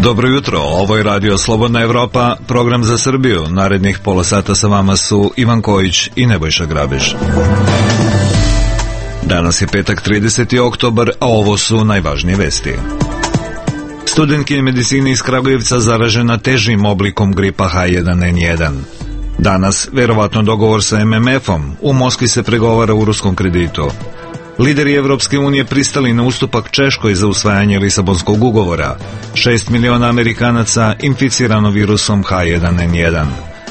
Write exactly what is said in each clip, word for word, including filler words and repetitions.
Dobro jutro, ovo je Radio Slobodna Evropa, program za Srbiju. Narednih pola sata sa vama su Ivan Kojić i Nebojša Grabež. Danas je petak trideseti oktobar, a ovo su najvažnije vesti. Studentkinja medicine iz Kragujevca zaražena težim oblikom gripa H jedan N jedan. Danas, verovatno dogovor sa M M F-om, u Moskvi se pregovara u ruskom kreditu. Lideri Evropske unije pristali na ustupak Češkoj za usvajanje Lisabonskog ugovora. Šest miliona Amerikanaca inficirano virusom H jedan N jedan.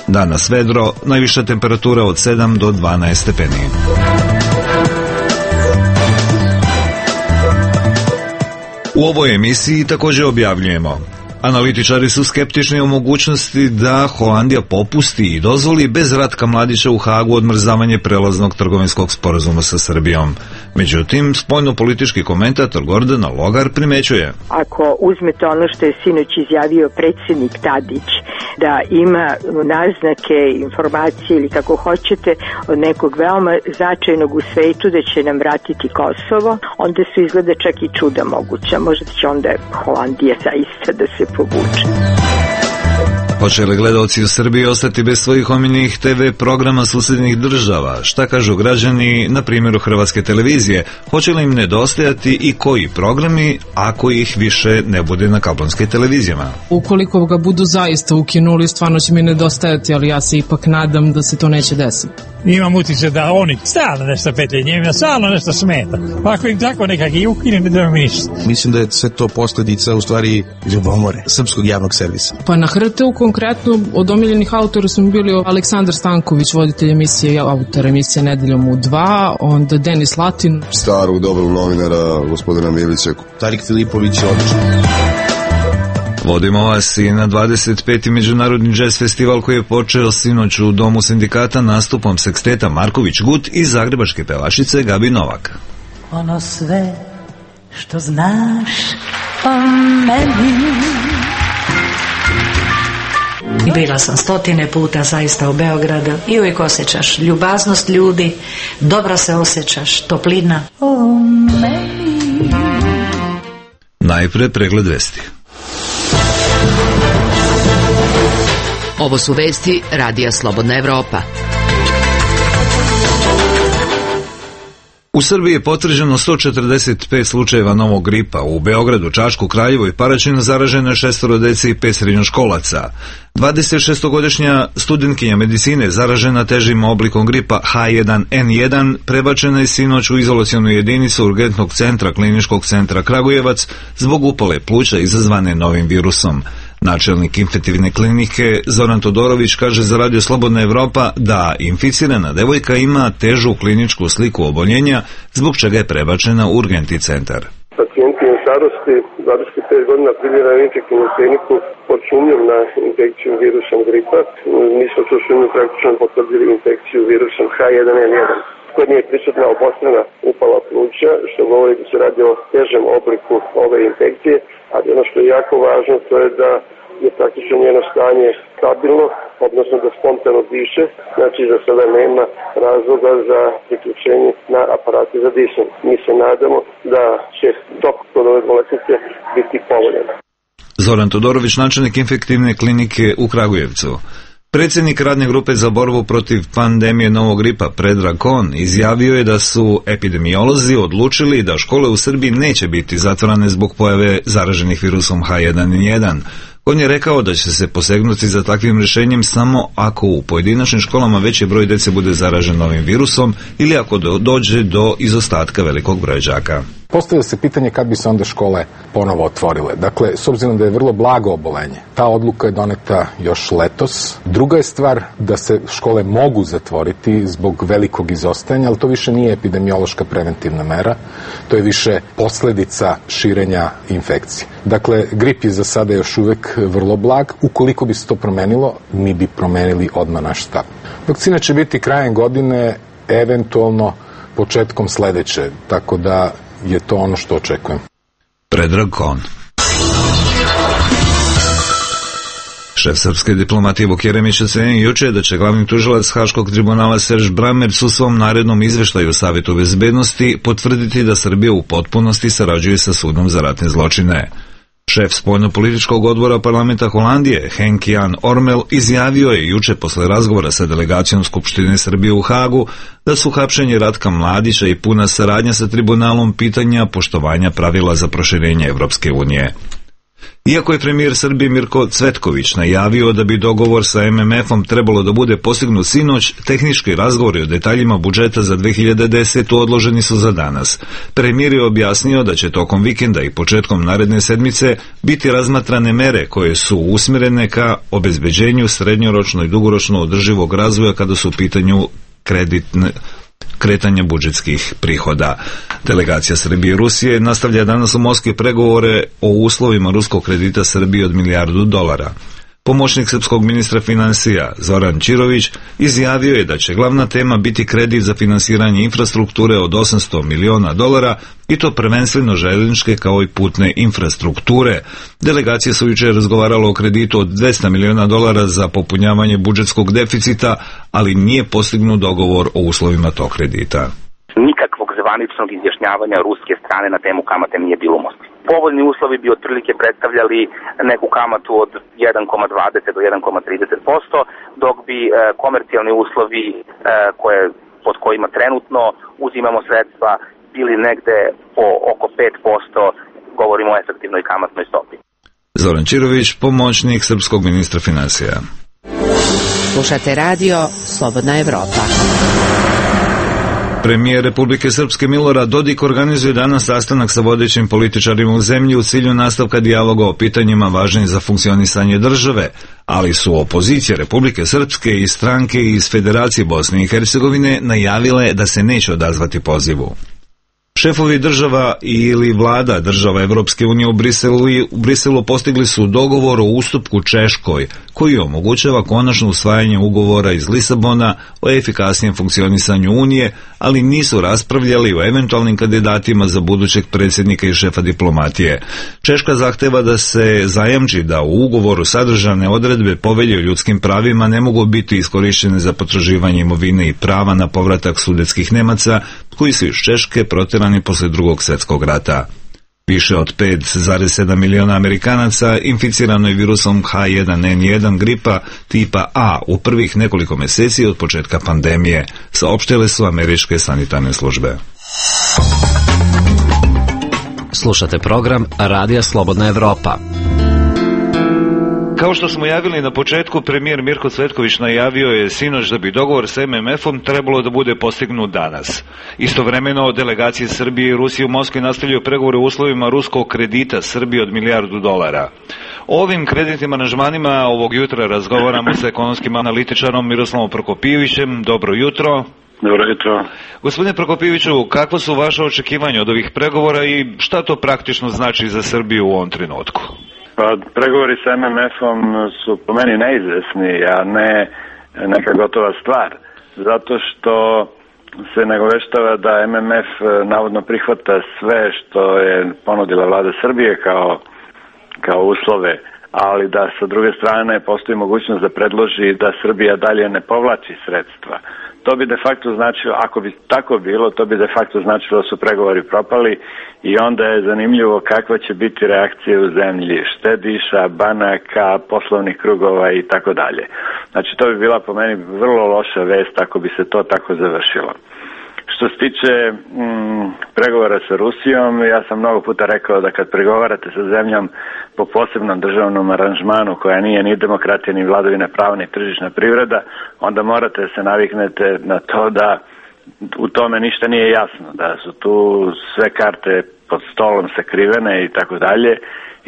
Danas vedro, najviša temperatura od sedam do dvanaest stepeni. U ovoj emisiji također objavljujemo: analitičari su skeptični o mogućnosti da Holandija popusti i dozvoli bez Ratka Mladića u Hagu odmrzavanje prelaznog trgovinskog sporazuma sa Srbijom. Međutim, spoljno-politički komentator Gordana Logar primećuje: ako uzmete ono što je sinoć izjavio predsjednik Tadić, da ima naznake, informacije ili kako hoćete od nekog veoma značajnog u svetu da će nam vratiti Kosovo, onda su izgleda čak i čuda moguća. Možda će onda Holandija zaista da se povuče. Hoće li gledaoci u Srbiji ostati bez svojih omiljenih te ve programa susjednih država? Šta kažu građani na primjeru Hrvatske televizije? Hoće li im nedostajati i koji programi ako ih više ne bude na kablovskim televizijama? Ukoliko ga budu zaista ukinuli, stvarno će mi nedostajati, ali ja se ipak nadam da se to neće desiti. Imam utječe da oni stalno nešto petaju, njima stalno nešto smeta. Pa ako im tako nekak i ukine, ne da mi ništa. Mislim da je sve to posljedica u stvari ljubomore srpskog javnog servisa. Pa na H R T-u konkretno od omiljenih autora su bili Aleksandar Stanković, voditelj emisije, autor emisije Nedeljom u dva, onda Denis Latin. Starog dobrog novinara, gospodina Milića. Tarik Filipović je odličan. Vodimo vas i na dvadeset peti Međunarodni džez festival koji je počeo sinoć u Domu sindikata nastupom seksteta Marković Gut i zagrebačke pevačice Gabi Novak. Ono sve što znaš o meni. Bila sam stotine puta zaista u Beogradu i uvijek osjećaš ljubaznost ljudi, dobro se osjećaš, toplina o meni. Najpre pregled vesti. Ovo su vesti Radija Slobodna Evropa. U Srbiji je potvrđeno sto četrdeset pet slučajeva novog gripa. U Beogradu, Čačku, Kraljevu i Paraćinu zaraženo je šestoro dece i pet srednjoškolaca. dvadesetšestogodišnja studentkinja medicine zaražena težim oblikom gripa H jedan N jedan prebačena je sinoć u izolacionu jedinicu urgentnog centra Kliničkog centra Kragujevac zbog upale pluća izazvane novim virusom. Načelnik infektivne klinike Zoran Todorović kaže za Radio Slobodna Evropa da inficirana devojka ima težu kliničku sliku oboljenja, zbog čega je prebačena u urgentni centar. Pacijentkinja starosti dvadeset pet godina primjera infektivnu kliniku pod sumnjom na infekciju virusom gripa. Mi smo tu sumnju praktično potvrdili infekciju virusom H jedan N jedan. Kod nje je prisutna obostrana upala pluća, što govori da se radi o težem obliku ove infekcije, ali ono što je jako važno to je da je praktično njeno stanje stabilno, odnosno da spontano diše, znači da sada nema razloga za priključenje na aparate za disanje. Mi se nadamo da će tok kod ove bolesnice biti povoljan. Zoran Todorović, načelnik infektivne klinike u Kragujevcu. Predsjednik radne grupe za borbu protiv pandemije novog gripa Predrag Kon izjavio je da su epidemiolozi odlučili da škole u Srbiji neće biti zatvorene zbog pojave zaraženih virusom H jedan N jedan. On je rekao da će se posegnuti za takvim rješenjem samo ako u pojedinačnim školama veći broj djece bude zaražen novim virusom ili ako do, dođe do izostatka velikog broja đaka. Postavlja se pitanje kad bi se onda škole ponovo otvorile. Dakle, s obzirom da je vrlo blago obolenje, ta odluka je doneta još letos. Druga je stvar da se škole mogu zatvoriti zbog velikog izostajanja, ali to više nije epidemiološka preventivna mera, to je više posljedica širenja infekcije. Dakle, grip je za sada još uvijek vrlo blag. Ukoliko bi se to promenilo, mi bi promenili odmah naš stav. Vakcina će biti krajem godine, eventualno početkom sljedeće, tako da je to ono što očekujem. Predrag Kon. Šef srpske diplomatije Vuk Jeremić ocenio juče da će glavni tužilac Haškog tribunala Serž Brammerc u svom narednom izveštaju Savetu bezbednosti potvrditi da Srbija u potpunosti sarađuje sa sudom za ratne zločine. Šef spoljnopolitičkog odbora parlamenta Holandije, Henk Jan Ormel, izjavio je juče posle razgovora sa delegacijom Skupštine Srbije u Hagu da su hapšenje Ratka Mladića i puna saradnja sa tribunalom pitanja poštovanja pravila za proširenje Evropske unije. Iako je premijer Srbije Mirko Cvetković najavio da bi dogovor sa M M F-om trebalo da bude postignut sinoć, tehnički razgovori o detaljima budžeta za dve hiljade desetu. odloženi su za danas. Premijer je objasnio da će tokom vikenda i početkom naredne sedmice biti razmatrane mere koje su usmjerene ka obezbeđenju srednjoročno i dugoročno održivog razvoja kada su u pitanju kreditne kretanja budžetskih prihoda. Delegacija Srbije i Rusije nastavlja danas u Moskvi pregovore o uslovima ruskog kredita Srbije od milijardu dolara. Pomoćnik srpskog ministra finansija Zoran Čirović izjavio je da će glavna tema biti kredit za finansiranje infrastrukture od osamsto miliona dolara i to prvenstveno željezničke kao i putne infrastrukture. Delegacije su jučer razgovaralo o kreditu od dvesta miliona dolara za popunjavanje budžetskog deficita, ali nije postignut dogovor o uslovima tog kredita. Nikakvog zvaničnog izjašnjavanja ruske strane na temu kamate nije bilo u Moskvi. Povoljni uslovi bi otprilike predstavljali neku kamatu od jedan zarez dvadeset do jedan zarez trideset posto, dok bi e, komercijalni uslovi e, koje, pod kojima trenutno uzimamo sredstva bili negde po oko pet posto, govorimo o efektivnoj kamatnoj stopi. Zoran Čirović, pomoćnik srpskog ministra finansija. Slušate radio Slobodna Evropa. Premijer Republike Srpske Milorad Dodik organizuje danas sastanak sa vodećim političarima u zemlji u cilju nastavka dijaloga o pitanjima važnim za funkcionisanje države, ali su opozicije Republike Srpske i stranke iz Federacije Bosne i Hercegovine najavile da se neće odazvati pozivu. Šefovi država ili vlada država Evropske unije u Briselu, u Briselu postigli su dogovor o ustupku Češkoj, koji omogućava konačno usvajanje ugovora iz Lisabona o efikasnijem funkcionisanju Unije, ali nisu raspravljali o eventualnim kandidatima za budućeg predsjednika i šefa diplomatije. Češka zahteva da se zajamči da u ugovoru sadržane odredbe Povelje o ljudskim pravima ne mogu biti iskorištene za potraživanje imovine i prava na povratak sudetskih Nemaca koji su iz Češke proterani posle drugog svjetskog rata. Više od pet zarez sedam miliona Amerikanaca inficirano je virusom H jedan N jedan gripa tipa A u prvih nekoliko mjeseci od početka pandemije, saopštile su američke sanitarne službe. Slušate program Radija Slobodna Evropa. Kao što smo javili na početku, premijer Mirko Cvetković najavio je sinoć da bi dogovor s M M F-om trebalo da bude postignut danas. Istovremeno, delegacije Srbije i Rusije u Moskvi nastavljaju pregovore u uslovima ruskog kredita Srbije od milijardu dolara. O ovim kreditnim aranžmanima ovog jutra razgovaramo sa ekonomskim analitičarom Miroslavom Prokopijevićem. Dobro jutro. Dobro jutro. Gospodine Prokopijeviću, kakva su vaše očekivanja od ovih pregovora i šta to praktično znači za Srbiju u ovom trenutku? Pa, pregovori sa M M F-om su po meni neizvesni, a ne neka gotova stvar. Zato što se nagoveštava da M M F navodno prihvata sve što je ponudila vlada Srbije kao, kao uslove, ali da sa druge strane postoji mogućnost da predloži da Srbija dalje ne povlači sredstva. To bi de facto značilo, ako bi tako bilo, to bi de facto značilo da su pregovori propali i onda je zanimljivo kakva će biti reakcija u zemlji štediša, banaka, poslovnih krugova i tako dalje. Znači to bi bila po meni vrlo loša vest ako bi se to tako završilo. Što se tiče mm, pregovora sa Rusijom, ja sam mnogo puta rekao da kad pregovarate sa zemljom po posebnom državnom aranžmanu koja nije ni demokratija, ni vladavina prava, ni tržišna privreda, onda morate se naviknete na to da u tome ništa nije jasno, da su tu sve karte pod stolom sakrivene i tako dalje.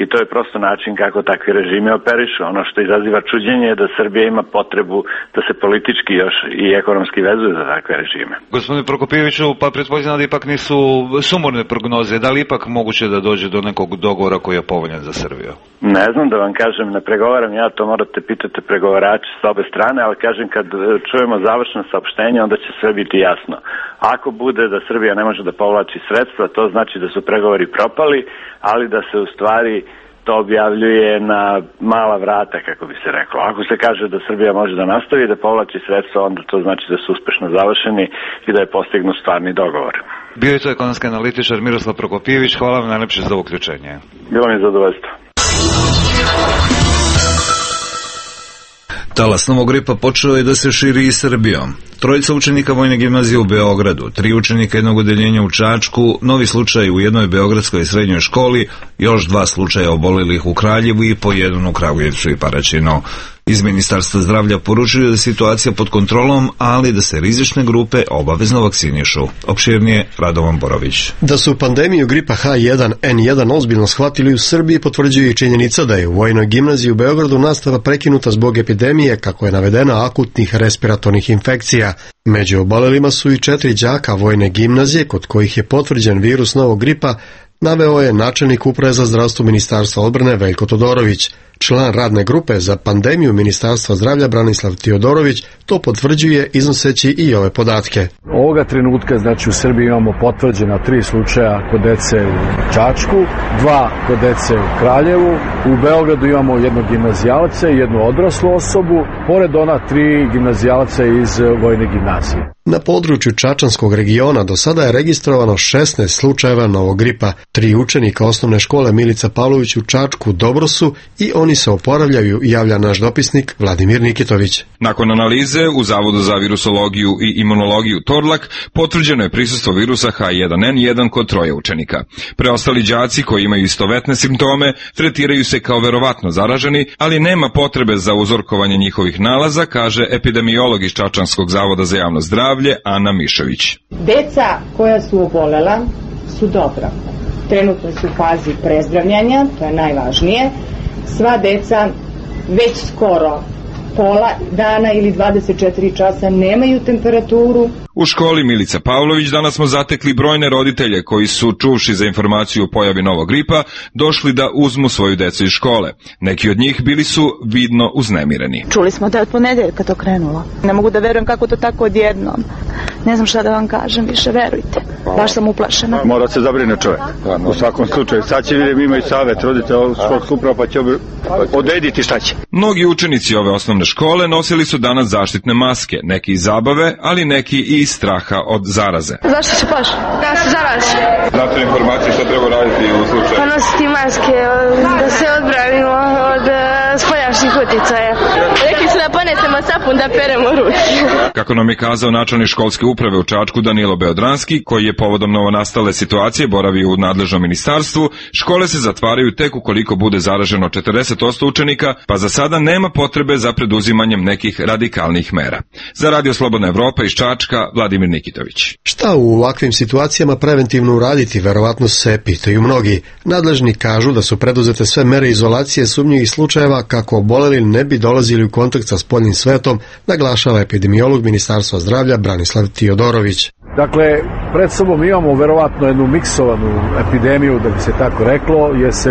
I to je prosto način kako takvi režimi operišu. Ono što izaziva čuđenje je da Srbija ima potrebu da se politički još i ekonomski vezuje za takve režime. Gospodine Prokopijeviću, pa pretpostavljam da ipak nisu sumorne prognoze. Da li ipak moguće da dođe do nekog dogovora koji je povoljan za Srbiju? Ne znam da vam kažem, ne pregovaram ja, to morate pitati pregovarači s obe strane, ali kažem kad čujemo završno saopštenje onda će sve biti jasno. Ako bude da Srbija ne može da povlači sredstva, to znači da su pregovori propali, ali da se u stvari to objavljuje na mala vrata, kako bi se reklo. Ako se kaže da Srbija može da nastavi da povlači sredstva, onda to znači da su uspešno završeni i da je postignut stvarni dogovor. Bio je to ekonomski analitičar Miroslav Prokopijević. Hvala vam najlepše za uključenje. Bilo mi je zadovoljstvo. Talas novog gripa počeo je da se širi i Srbijom. Trojica učenika Vojne gimnazije u Beogradu, tri učenika jednog odeljenja u Čačku, novi slučaj u jednoj beogradskoj srednjoj školi, još dva slučaja obolelih u Kraljevu i po jedan u Kragujevcu i Paraćinu. Iz Ministarstva zdravlja poručuju da je situacija pod kontrolom, ali da se rizične grupe obavezno vakcinišu. Opširnije Radovan Borović. Da su pandemiju gripa H jedan N jedan ozbiljno shvatili u Srbiji potvrđuje i činjenica da je u Vojnoj gimnaziji u Beogradu nastava prekinuta zbog epidemije, kako je navedeno, akutnih respiratornih infekcija. Među obolelima su i četiri đaka Vojne gimnazije kod kojih je potvrđen virus novog gripa, naveo je načelnik Uprave za zdravstvo Ministarstva odbrane Veljko Todorović. Član radne grupe za pandemiju Ministarstva zdravlja Branislav Tiodorović to potvrđuje iznoseći i ove podatke. Ovoga trenutka, znači u Srbiji imamo potvrđena tri slučaja kod dece u Čačku, dva kod dece u Kraljevu, u Beogradu imamo jednog gimnazijalca i jednu odraslu osobu, pored ona tri gimnazijalca iz Vojne gimnazije. Na području Čačanskog regiona do sada je registrovano šesnaest slučajeva novog gripa. Tri učenika osnovne škole Milica Pavlović u Čačku dobro su i oni se oporavljaju, javlja naš dopisnik Vladimir Nikitović. Nakon analize u Zavodu za virusologiju i imunologiju Torlak potvrđeno je prisustvo virusa H jedan N jedan kod troje učenika. Preostali đaci koji imaju istovetne simptome tretiraju se kao verovatno zaraženi, ali nema potrebe za uzorkovanje njihovih nalaza, kaže epidemiolog iz Čačanskog zavoda za javno zdravlje Ana Mišević. Deca koja su obolela su dobra. Trenutno su u fazi prezdravljanja, to je najvažnije. Sva deca već skoro pola dana ili dvadeset četiri časa nemaju temperaturu. U školi Milica Pavlović danas smo zatekli brojne roditelje koji su, čuvši za informaciju o pojavi novog gripa, došli da uzmu svoju decu iz škole. Neki od njih bili su vidno uznemireni. Čuli smo da je od ponedeljka to krenulo. Ne mogu da verujem kako to tako odjednom. Ne znam šta da vam kažem, više verujte. Baš sam uplašena. Mora se zabrine čovjek. U svakom slučaju. Sad će vidjeti, imaju savet, rodite ovog svog supra, pa će odrediti šta će. Mnogi učenici ove osnovne škole nosili su danas zaštitne maske, neki iz zabave, ali neki i iz straha od zaraze. Zašto se plaši? Da se zarazi. Znate informacije šta treba raditi u slučaju? Pa nositi maske, da se odbranimo od spoljašnjih uticaja. Rekli su da ponesemo sapun da peremo ruke. Kako nam je kazao načelnik školske uprave u Čačku Danilo Beodranski, koji je povodom novonastale situacije boravio u nadležnom ministarstvu, škole se zatvaraju tek ukoliko bude zaraženo četrdeset posto učenika, pa za sada nema potrebe za preduzimanjem nekih radikalnih mera. Za Radio Slobodna Evropa iz Čačka, Vladimir Nikitović. Šta u ovakvim situacijama preventivno uraditi, verovatno se pitaju mnogi. Nadležni kažu da su preduzete sve mere izolacije sumnjivih slučajeva kako oboleli ne bi dolazili u kontakt sa spoljnim svetom, naglašava epidemiolog Ministarstva zdravlja Branislav Tiodorović. Dakle, pred sobom imamo verovatno jednu miksovanu epidemiju, da bi se tako reklo, jer se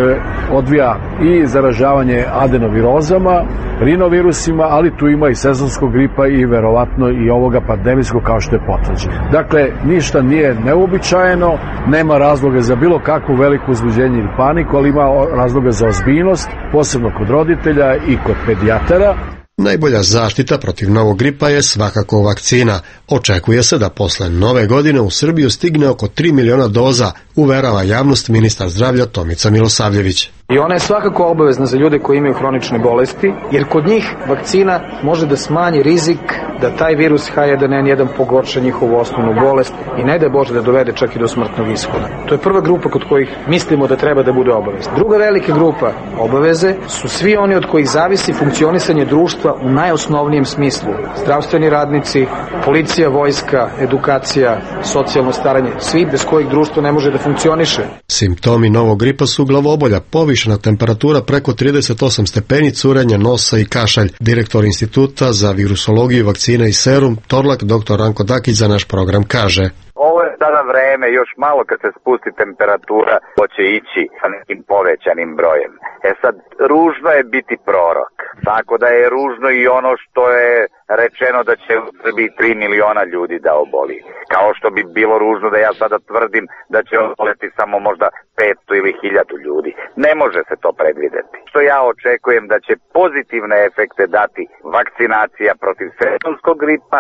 odvija i zaražavanje adenovirozama, rinovirusima, ali tu ima i sezonskog gripa i verovatno i ovoga pandemijskog kao što je potvrđeno. Dakle, ništa nije neuobičajeno, nema razloga za bilo kakvu veliku uzbuđenje ili paniku, ali ima razloga za ozbiljnost, posebno kod roditelja i kod pedijatara. Najbolja zaštita protiv novog gripa je svakako vakcina. Očekuje se da posle nove godine u Srbiju stigne oko tri miliona doza, uverava javnost ministar zdravlja Tomica Milosavljević. I ona je svakako obavezna za ljude koji imaju hronične bolesti, jer kod njih vakcina može da smanji rizik da taj virus H jedan N jedan pogorša njihovu osnovnu bolest i ne da Bože da dovede čak i do smrtnog ishoda. To je prva grupa kod kojih mislimo da treba da bude obavezna. Druga velika grupa obaveze su svi oni od kojih zavisi funkcionisanje društva u najosnovnijem smislu. Zdravstveni radnici, policija, vojska, edukacija, socijalno staranje, svi bez kojih društvo ne može da funkcioniše. Simptomi novog gripa su glavobolja, povišena temperatura preko trideset osam stepeni, curenje nosa i kašalj. Direktor Instituta za virusologiju, vakcina i serum Torlak, doktor Ranko Dakić, za naš program kaže: Ovo je sada vreme, još malo kad se spusti temperatura, hoće ići sa nekim povećanim brojem. E sad, ružno je biti prorok, tako da je ružno i ono što je rečeno da će u Srbiji tri miliona ljudi da oboli. Kao što bi bilo ružno da ja sada tvrdim da će oboleti samo možda petsto ili hiljadu ljudi. Ne može se to predvideti. Što ja očekujem da će pozitivne efekte dati vakcinacija protiv sezonskog gripa,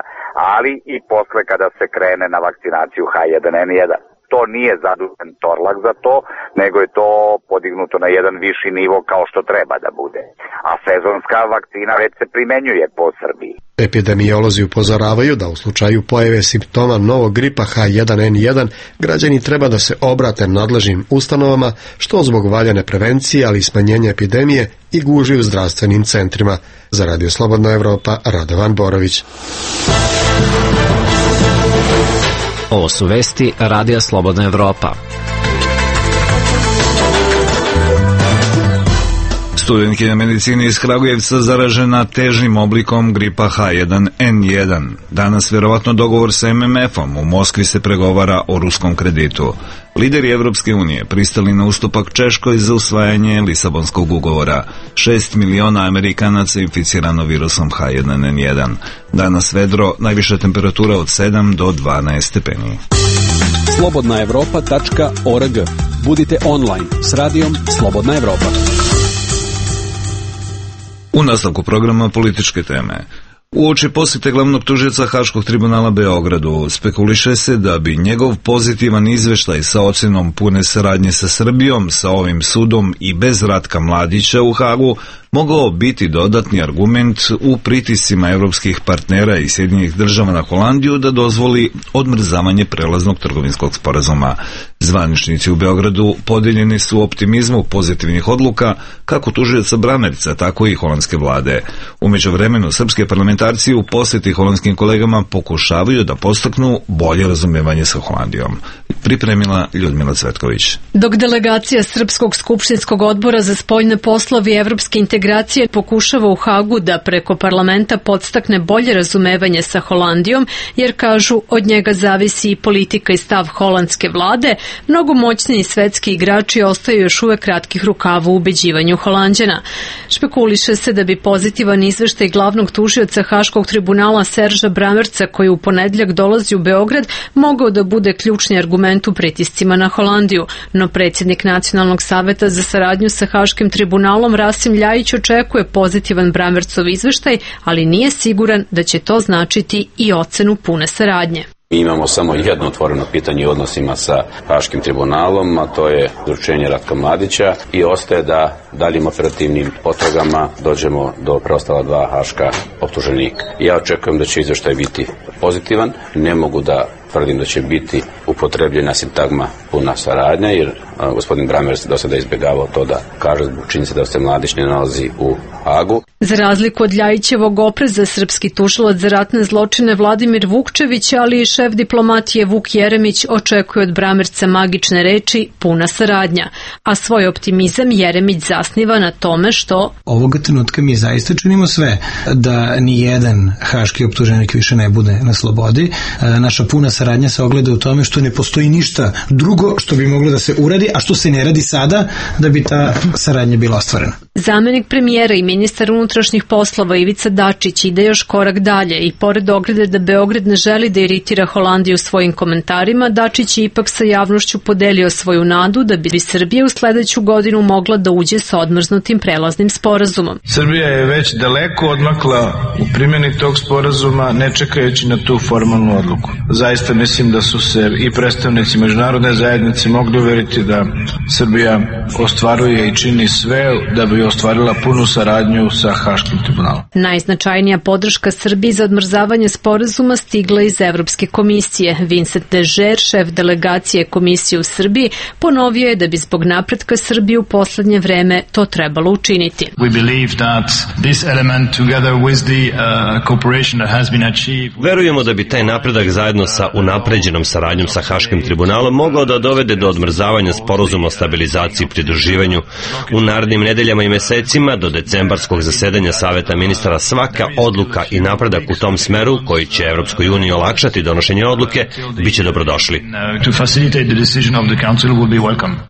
ali i posle kada se krene na vakcinaciju H jedan N jedan. to nije zadužen Torlak za to, nego je to podignuto na jedan viši nivo kao što treba da bude. A sezonska vakcina već se primenjuje po Srbiji. Epidemiolozi upozoravaju da u slučaju pojave simptoma novog gripa H jedan N jedan građani treba da se obrate nadležnim ustanovama, što zbog valjane prevencije, ali i smanjenja epidemije i gužvi u zdravstvenim centrima. Za Radio Slobodna Evropa, Radovan Borović. Ovo su vesti Radija Slobodna Evropa. Studentkinja medicine iz Kragujevca zaražena težim oblikom gripa H jedan N jedan. Danas vjerovatno dogovor sa M M F-om. U Moskvi se pregovara o ruskom kreditu. Lideri Evropske unije pristali na ustupak Češkoj za usvajanje Lisabonskog ugovora. Šest miliona Amerikanaca inficirano virusom H jedan N jedan. Danas vedro, najviša temperatura od sedam do dvanaest stepeni. slobodna evropa tačka org. Budite online s radijom Slobodna Evropa. U nastavku programa političke teme. Uoči posjete glavnog tužioca Haškog tribunala Beogradu spekuliše se da bi njegov pozitivan izveštaj sa ocjenom pune saradnje sa Srbijom, sa ovim sudom i bez Ratka Mladića u Hagu mogao biti dodatni argument u pritiscima evropskih partnera i Sjedinjenih država na Holandiju da dozvoli odmrzavanje prelaznog trgovinskog sporazuma. Zvaničnici u Beogradu podijeljeni su u optimizmu pozitivnih odluka kako tužioca Bramerca, tako i holandske vlade. U međuvremenu srpske parlamentarci u posjeti holandskim kolegama pokušavaju da postaknu bolje razumevanje sa Holandijom. Pripremila Ljudmila Cvetković. Dok delegacija Srpskog skupštinskog odbora za spoljne poslove i evropske integracije pokušava u Hagu da preko parlamenta podstakne bolje razumevanje sa Holandijom, jer kažu od njega zavisi i politika i stav holandske vlade, mnogo moćniji svetski igrači ostaju još uvek kratkih rukava u ubeđivanju Holanđana. Špekuliše se da bi pozitivan izveštaj glavnog tužioca Haškog tribunala Serža Bramerca, koji u ponedjeljak dolazi u Beograd, mogao da bude ključni argument u pritiscima na Holandiju, no predsjednik Nacionalnog saveta za saradnju sa Haškim tribunalom Rasim Ljajić očekuje pozitivan Bramercov izveštaj, ali nije siguran da će to značiti i ocenu pune saradnje. Mi imamo samo jedno otvoreno pitanje u odnosima sa Haškim tribunalom, a to je izručenje Ratka Mladića, i ostaje da daljim operativnim potragama dođemo do preostala dva haška optuženika. Ja očekujem da će izveštaj biti pozitivan, ne mogu da tvrdim da će biti upotrebljena sintagma puna saradnja, jer a, gospodin Bramerc do sada izbjegavao to da kaže zbog činjenice da se Mladić ne nalazi u Hagu. Za razliku od Ljajićevog opreza, srpski tužilac za ratne zločine Vladimir Vukčević, ali i šef diplomatije Vuk Jeremić očekuje od Bramerca magične reči puna saradnja, a svoj optimizam Jeremić zasniva na tome što ovoga trenutka mi zaista činimo sve da ni jedan haški optuženik više ne bude na slobodi. Naša puna saradnja se ogleda u tome što ne postoji ništa drugo što bi moglo da se uradi, a što se ne radi sada da bi ta saradnja bila ostvarena. Zamenik premijera i ministar unutrašnjih poslova Ivica Dačić ide još korak dalje i pored ograde da Beograd ne želi da iritira Holandiju svojim komentarima, Dačić je ipak sa javnošću podelio svoju nadu da bi Srbija u sledeću godinu mogla da uđe sa odmrznutim prelaznim sporazumom. Srbija je već daleko odmakla u primjeni tog sporazuma, ne čekajući na tu formalnu odluku. Zaista mislim da su se i predstavnici međunarodne zajednice mogli uveriti da Srbija ostvaruje i čini sve da bi ostvarila punu saradnju sa Haškim tribunalom. Najznačajnija podrška Srbiji za odmrzavanje sporazuma stigla iz Evropske komisije. Vincent Dežer, šef delegacije komisije u Srbiji, ponovio je da bi zbog napretka Srbije u poslednje vreme to trebalo učiniti. Verujemo da bi taj napredak zajedno sa unapređenom saradnjom sa Haškim tribunalom mogao da dovede do odmrzavanja sporazuma o stabilizaciji i pridruživanju. U narednim nedeljama i mesecima do decembarskog zasedanja Saveta ministara svaka odluka i napredak u tom smeru koji će Evropskoj uniji olakšati donošenje odluke biće dobrodošli.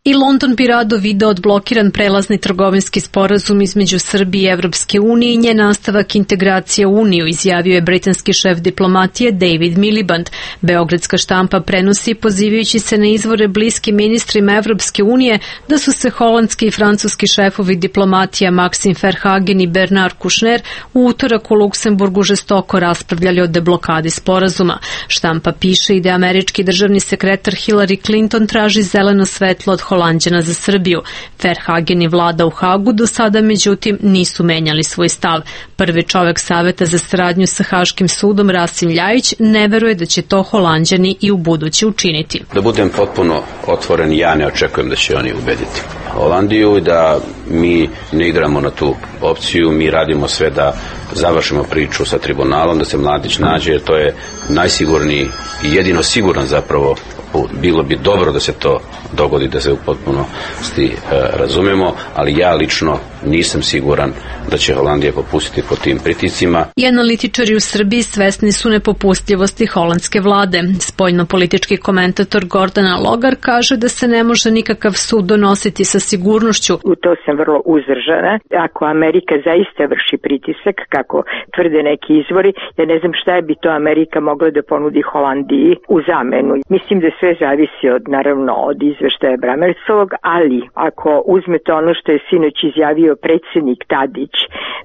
I London bi rado video odblokiran prelazni trgovinski sporazum između Srbije i Evropske unije i njen nastavak integracije u Uniju, izjavio je britanski šef diplomatije David Miliband. Beograd Beogradska štampa prenosi pozivajući se na izvore bliski ministrima Evropske unije da su se holandski i francuski šefovi diplomatija Maxime Verhagen i Bernard Kouchner u utorak u Luksemburgu žestoko raspravljali o deblokadi sporazuma. Štampa piše i da američki državni sekretar Hillary Clinton traži zeleno svetlo od Holanđana za Srbiju. Verhagen i vlada u Hagu do sada međutim nisu menjali svoj stav. Prvi čovek Saveta za saradnju sa Haškim sudom Rasim Ljajić ne veruje da će to Holanđani i u buduće učiniti. Da budem potpuno otvoren, ja ne očekujem da će oni ubediti Holandiju i da mi ne igramo na tu opciju, mi radimo sve da završimo priču sa tribunalom, da se Mladić nađe, jer to je najsigurniji i jedino siguran zapravo put. Bilo bi dobro da se to dogodi, da se u potpunosti e, razumemo, ali ja lično nisam siguran da će Holandija popustiti pod tim pritiscima. I analitičari u Srbiji svesni su nepopustljivosti holandske vlade. Spoljno-politički komentator Gordana Logar kaže da se ne može nikakav sud donositi sa sigurnošću. U to sam vrlo uzdržana. Ako Amerika zaista vrši pritisak, kako tvrde neki izvori, ja ne znam šta bi to Amerika mogla da ponudi Holandiji u zamenu. Mislim da sve zavisi od, naravno, od izveštaja Bramercovog, ali ako uzmete ono što je sinoć izjavio predsjednik Tadić,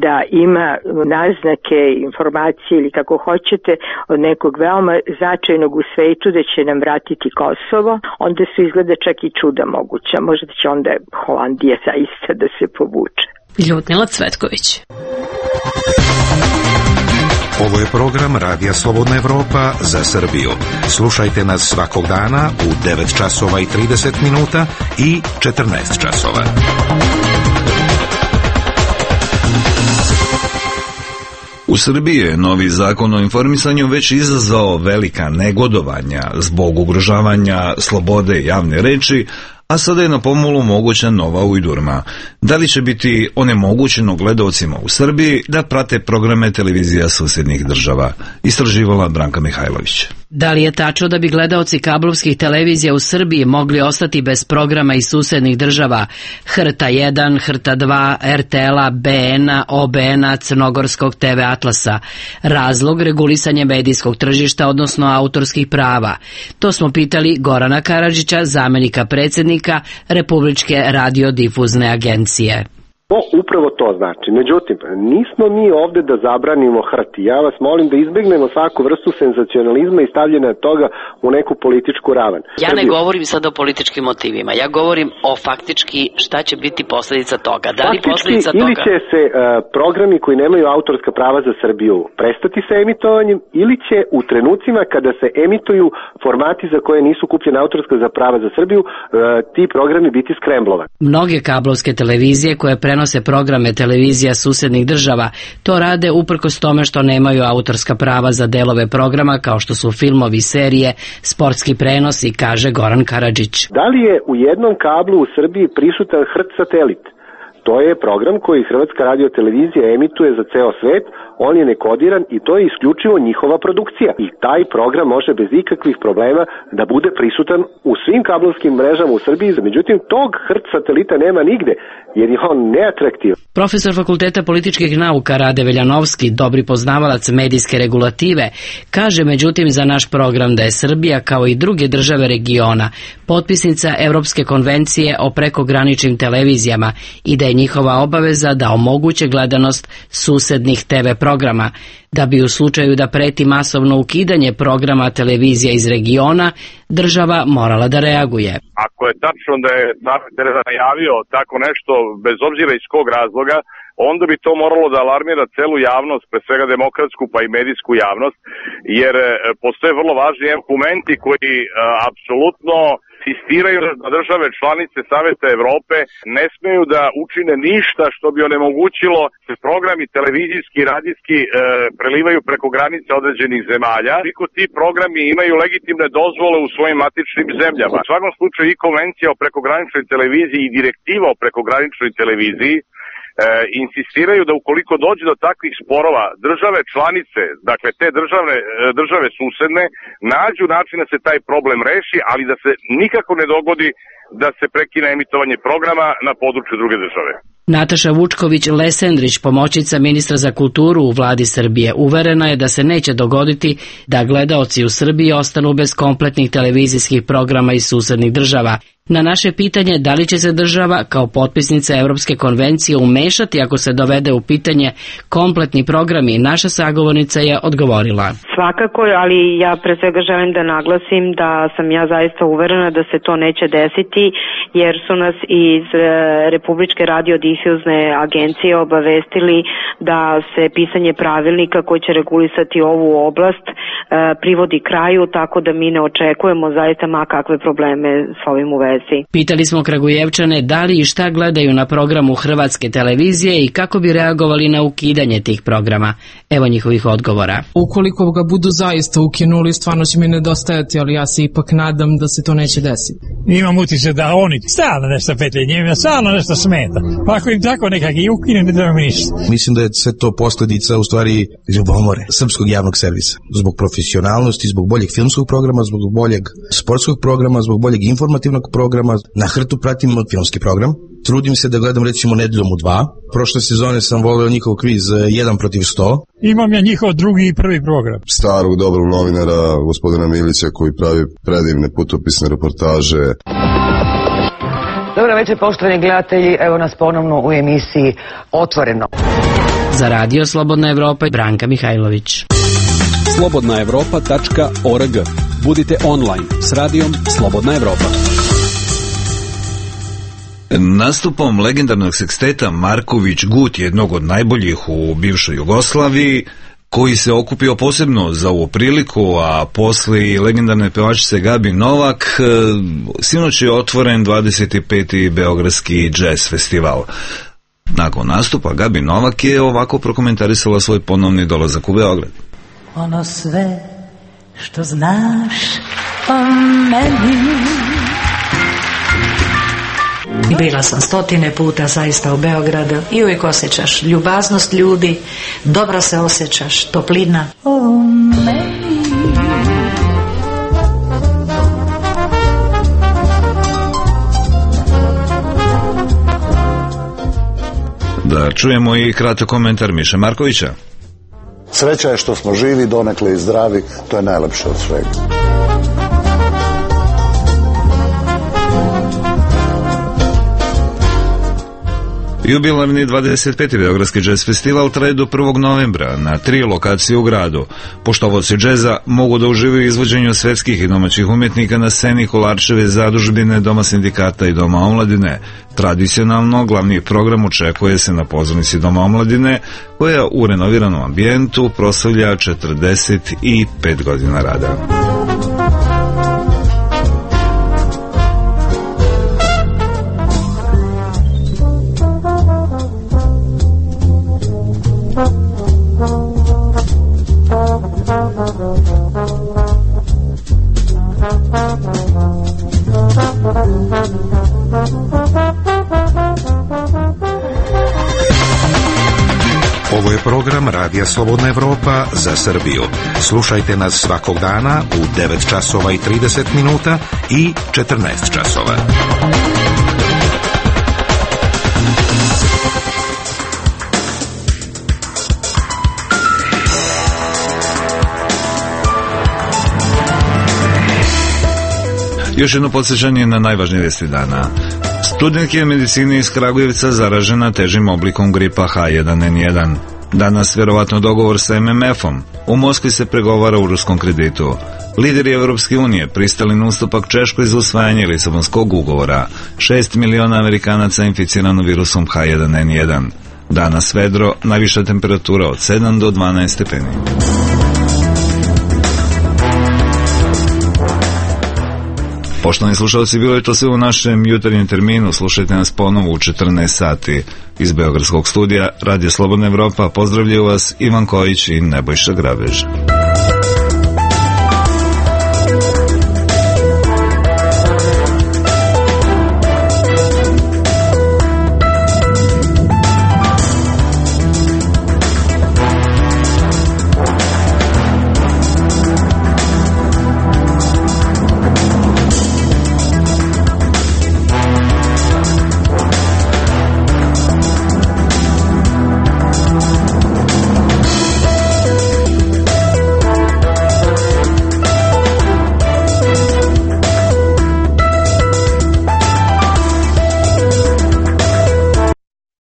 da ima naznake, informacije ili kako hoćete od nekog veoma značajnog u svetu da će nam vratiti Kosovo, onda su izgleda čak i čuda moguća. Možda će onda Holandija zaista da se povuče. Ljudmila Cvetković. Ovo je program Radija Slobodna Evropa za Srbiju. Slušajte nas svakog dana u devet časova i trideset minuta i četrnaest časova. U Srbiji je novi zakon o informisanju već izazvao velika negodovanja zbog ugrožavanja slobode javne reči, a sada je na pomolu moguća nova ujdurma. Da li će biti onemogućeno gledaocima u Srbiji da prate programe televizija susjednih država? Istraživala Branka Mihajlović. Da li je tačno da bi gledaoci kablovskih televizija u Srbiji mogli ostati bez programa iz susednih država H R T A jedan, H R T A dva, R T L-a, B N-a, O B N-a, Crnogorskog T V Atlasa? Razlog regularisanje medijskog tržišta, odnosno autorskih prava. To smo pitali Gorana Karadžića, zamenika predsjednika Republičke radiodifuzne agencije. To upravo to znači. Međutim, nismo mi ovde da zabranimo H R T. Ja vas molim da izbegnemo svaku vrstu senzacionalizma i stavljanja toga u neku političku ravan. Ja ne govorim sad o političkim motivima. Ja govorim o faktički šta će biti posljedica toga. Da li posljedica toga? Ili će se uh, programi koji nemaju autorska prava za Srbiju prestati sa emitovanjem, ili će u trenucima kada se emituju formati za koje nisu kupljene autorska za prava za Srbiju, uh, ti programi biti skremblovani. Mnoge kablovske televizije koje prenose programe televizija susednih država to rade uprkos tome što nemaju autorska prava za delove programa kao što su filmovi, serije, sportski prenosi, kaže Goran Karadžić. Da li je u jednom kablu u Srbiji prisutan H R T satelit? To je program koji Hrvatska radiotelevizija emituje za ceo svet, on je nekodiran i to je isključivo njihova produkcija. I taj program može bez ikakvih problema da bude prisutan u svim kablovskim mrežama u Srbiji, međutim tog H R T satelita nema nigde, jer je on neatraktivan. Profesor Fakulteta političkih nauka Rade Veljanovski, dobri poznavalac medijske regulative, kaže međutim za naš program da je Srbija kao i druge države regiona potpisnica Evropske konvencije o prekograničnim televizijama i da je njihova obaveza da omoguće gledanost susednih T V programa, da bi u slučaju da preti masovno ukidanje programa televizija iz regiona, država morala da reaguje. Ako je tačno da je Tereza najavio tako nešto, bez obzira iz kog razloga, onda bi to moralo da alarmira celu javnost, pre svega demokratsku pa i medijsku javnost, jer postoje vrlo važni dokumenti koji a, apsolutno insistiraju da države članice Saveta Evrope ne smeju da učine ništa što bi onemogućilo da programi televizijski i radijski e, prelivaju preko granice određenih zemalja. Koliko ti programi imaju legitimne dozvole u svojim matičnim zemljama. U svakom slučaju i konvencija o prekograničnoj televiziji i direktiva o prekograničnoj televiziji E, insistiraju da ukoliko dođe do takvih sporova, države članice, dakle te države, države susedne, nađu način da se taj problem reši, ali da se nikako ne dogodi da se prekine emitovanje programa na području druge države. Nataša Vučković-Lesendrić, pomoćnica ministra za kulturu u vladi Srbije, uverena je da se neće dogoditi da gledaoci u Srbiji ostanu bez kompletnih televizijskih programa iz susednih država. Na naše pitanje da li će se država kao potpisnica Evropske konvencije umešati ako se dovede u pitanje kompletni programi, naša sagovornica je odgovorila. Svakako, ali ja pre svega želim da naglasim da sam ja zaista uverena da se to neće desiti, jer su nas iz Republičke radiodifuzne agencije obavestili da se pisanje pravilnika koji će regulisati ovu oblast privodi kraju, tako da mi ne očekujemo zaista ma kakve probleme s ovim u vezi. Pitali smo Kragujevčane da li i šta gledaju na programu Hrvatske televizije i kako bi reagovali na ukidanje tih programa. Evo njihovih odgovora. Ukoliko ga budu zaista ukinuli, stvarno će mi nedostajati, ali ja se ipak nadam da se to neće desiti. Imam utisak da oni stalno nešto petlje, njima stalno nešto smeta. Pa ako im tako nekak i ukine, ne treba mi ništa. Mislim da je sve to posljedica u stvari ljubomore srpskog javnog servisa. Zbog profesionalnosti, zbog boljeg filmskog programa, zbog boljeg sportskog programa, zbog boljeg informativnog programa. Na hrtu pratim filmski program. Trudim se da gledam recimo Nedeljom u dva. Prošle sezone sam voleo njihov kviz jedan protiv sto. Imam ja njihov drugi i prvi program. Starog dobrog novinara, gospodina Milića, koji pravi predivne putopisne reportaže. Dobro večer, poštovani gledatelji, evo nas ponovno u emisiji Otvoreno. Za Radio Slobodna Evropa, Branka Mihajlović. slobodna evropa tačka org. Budite online s radijom Slobodna Evropa. Nastupom legendarnog seksteta Marković-Gut, jednog od najboljih u bivšoj Jugoslaviji, koji se okupio posebno za ovu priliku, a posle i legendarne pevačice Gabi Novak, sinoć je otvoren dvadeset peti Beogradski džez festival. Nakon nastupa Gabi Novak je ovako prokomentarisala svoj ponovni dolazak u Beograd. Ono sve što znaš o meni. Bila sam stotine puta zaista u Beogradu i uvijek osjećaš ljubaznost ljudi, dobro se osjećaš, toplina o meni. Da čujemo i kratak komentar Miše Markovića. Sreća je što smo živi, donekle i zdravi, to je najlepše od svega. Jubilarni dvadeset peti Beogradski džez festival traje do prvog novembra na tri lokacije u gradu. Poštovaoci džeza mogu da uživaju izvođenju svetskih i domaćih umjetnika na sceni Kolarčeve zadužbine, Doma sindikata i Doma omladine. Tradicionalno, glavni program očekuje se na pozornici Doma omladine, koja u renoviranom ambijentu proslavlja četrdeset pet godina rada. Ovo je program Radija Slobodna Evropa za Srbiju. Slušajte nas svakog dana u devet časova i trideset minuta i četrnaest časova. Još jedno podsjećanje na najvažnije vesti dana. Studentke medicine iz Kragujevca zaražena težim oblikom gripa H jedan N jedan. Danas vjerovatno dogovor sa M M F-om. U Moskvi se pregovara u ruskom kreditu. Lideri Evropske unije pristali na ustupak Češkoj za usvajanje Lisabonskog ugovora. Šest miliona Amerikanaca inficirano virusom H jedan N jedan. Danas vedro, najviša temperatura od sedam do dvanaest stepeni. Poštovani slušalci, bilo je to sve u našem jutarnjem terminu. Slušajte nas ponovo u četrnaest sati iz Beogradskog studija Radio Slobodna Evropa. Pozdravljaju vas Ivan Kojić i Nebojša Grabež.